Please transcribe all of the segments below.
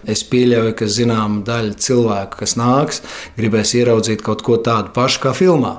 Es pieļauju, ka zināma daļa cilvēku, kas nāks, gribēs ieraudzīt kaut ko tādu pašu kā filmā.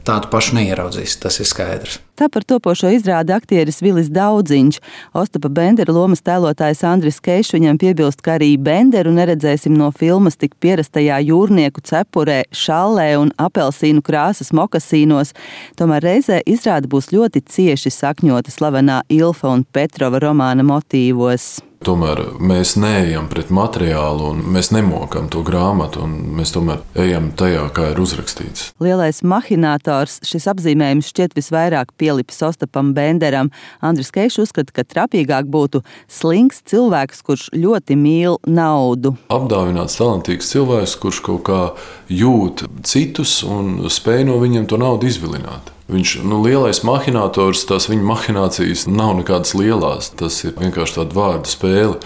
Tādu pašu neieraudzīs, tas ir skaidrs. Tā par topošo izrādi aktieris Vilis Daudziņš. Ostapa Bendera lomas tēlotājs Andris Keišs viņam piebilst, ka arī Benderu neredzēsim no filmas tik pierastajā jūrnieku cepurē, šallē un apelsīnu krāsas mokasīnos. Tomēr reizē izrāde būs ļoti cieši sakņota slavenā Ilfa un Petrova romāna motīvos. Tomēr mēs neejam pret materiālu un mēs nemokam to grāmatu, un mēs tomēr ejam tajā, kā ir uzrakstīts. Lielais mahinators, šis apzīmējums šķiet visvairāk pielipis Ostapam Benderam. Andris Keišs uzskata, ka trapīgāk būtu slinks cilvēks, kurš ļoti mīl naudu. Apdāvināts talantīgs cilvēks, kurš kaut kā jūt citus un spēj no viņiem to naudu izvilināt. Viņš, lielais mahinators, tās viņa mahinācijas nav nekādas lielās. Tas ir vienkārši tāda vārdu spēle.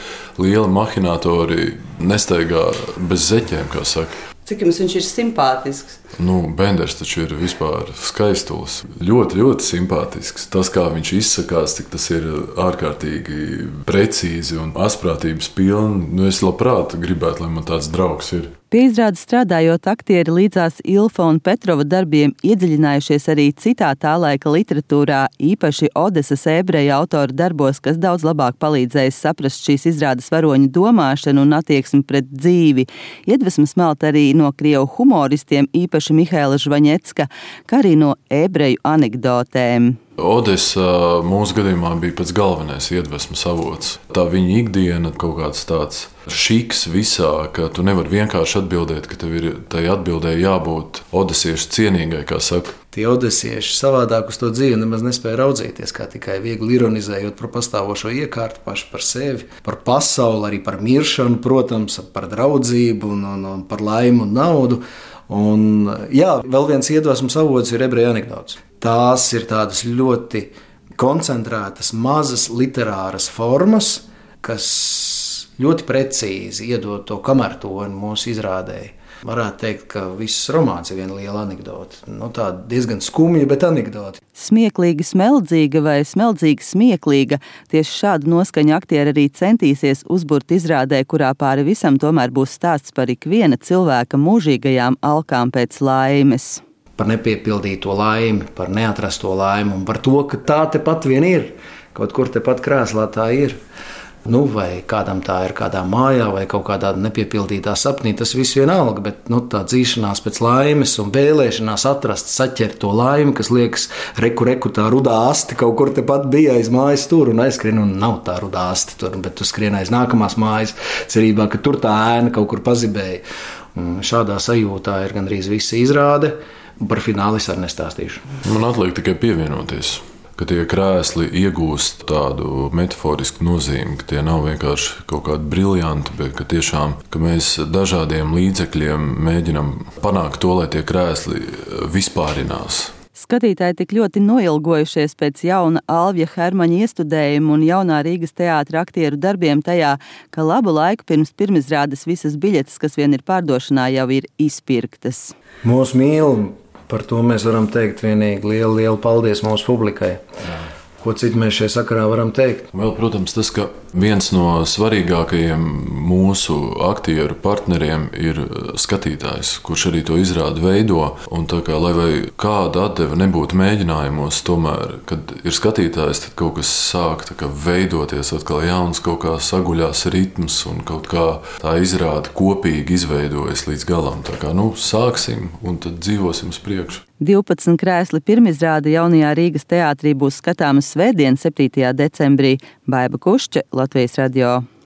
Lieli mahinatori nestaigā bez zeķiem, kā saka. Cik jums viņš ir simpātisks? Benders taču ir vispār skaistulis. Ļoti, ļoti simpātisks. Tas, kā viņš izsakās, cik tas ir ārkārtīgi precīzi un asprātības pilni. Es labprāt gribētu, lai man tāds draugs ir. Pie izrādes strādājot, aktieri līdzās Ilfa un Petrova darbiem iedziļinājušies arī citā tā laika literatūrā, īpaši Odesas ebreju autora darbos, kas daudz labāk palīdzējis saprast šīs izrādes varoņu domāšanu un attieksmi pret dzīvi. Iedvesmas melt arī no krievu humoristiem, īpaši Mihaila Žvaņecka, kā arī no ebreju anekdotēm. Odesa mūsu gadījumā bija pats galvenais iedvesmas avots. Tā viņa ikdiena, kaut kāds tāds šiks visā, ka tu nevari vienkārši atbildēt, ka tev ir tai atbildēji jābūt odesiešu cienīgai, kā saka. Tie odesieši savādāk uz to dzīvi nemaz nespēja raudzīties, kā tikai viegli ironizējot par pastāvošo iekārtu, paši par sevi, par pasauli, arī par miršanu, protams, par draudzību un par laimu un naudu. Un, vēl viens iedvesmas avots ir ebreju anekdotes. Tās ir tādas ļoti koncentrētas, mazas literāras formas, kas ļoti precīzi iedod to kamertoni mūsu izrādēji. Varētu teikt, ka viss romāns ir viena liela anekdote. Tāda diezgan skumja, bet anekdote. Smieklīgi smeldzīga vai smeldzīgi smieklīga. Tieši šādu noskaņu aktieri arī centīsies uzburt izrādē, kurā pāri visam tomēr būs stāsts par ikviena cilvēka mūžīgajām alkām pēc laimes. Par nepiepildīto laimi, par neatrasto laimi un par to, ka tā tepat vien ir. Kaut kur tepat krēslā tā ir. Vai kādam tā ir kādā mājā vai kaut kādā nepiepildītā sapnī, tas viss vienalga, bet tā dzīšanās pēc laimes un vēlēšanās atrast, saķert to laimi, kas liekas, reku tā rudā asti kaut kur tepat bija aiz mājas tur un aizskrien, un nav tā rudā asti tur, bet tu skrien aiz nākamās mājas, cerībā, ka tur tā ēna kaut kur pazibēja. Un šādā sajūtā ir gandrīz visa izrāde, un par finālu es arī nestāstīšu. Man atliek tikai pievienoties. Ka tie krēsli iegūst tādu metaforisku nozīmi, ka tie nav vienkārši kaut kādi briljanti, bet ka tiešām ka mēs dažādiem līdzekļiem mēģinam panākt to, lai tie krēsli vispārinās. Skatītāji tik ļoti noilgojušies pēc jauna Alvija Hermaņa iestudējuma un jaunā Rīgas teātra aktieru darbiem tajā, ka labu laiku pirms pirmizrādes visas biļetes, kas vien ir pārdošanā, jau ir izpirktas. Mūs mīl. Par to mēs varam teikt vienīgi lielu paldies mūsu publikai. Ko citu mēs šajā sakarā varam teikt? Vēl, protams, tas, ka viens no svarīgākajiem mūsu aktieru partneriem ir skatītājs, kurš arī to izrādi veido. Un tā kā, lai vai kāda atdeve nebūtu mēģinājumos, tomēr, kad ir skatītājs, tad kaut kas sāk veidoties atkal jauns, kaut kā saguļās ritms un kaut kā tā izrāde kopīgi izveidojas līdz galam. Tā kā, sāksim un tad dzīvosim uz priekšu. 12 krēsli pirmizrāde jaunajā Rīgas teātrī būs skatāmas svētdien, 7. decembrī. Baiba Kušče, Latvijas radio.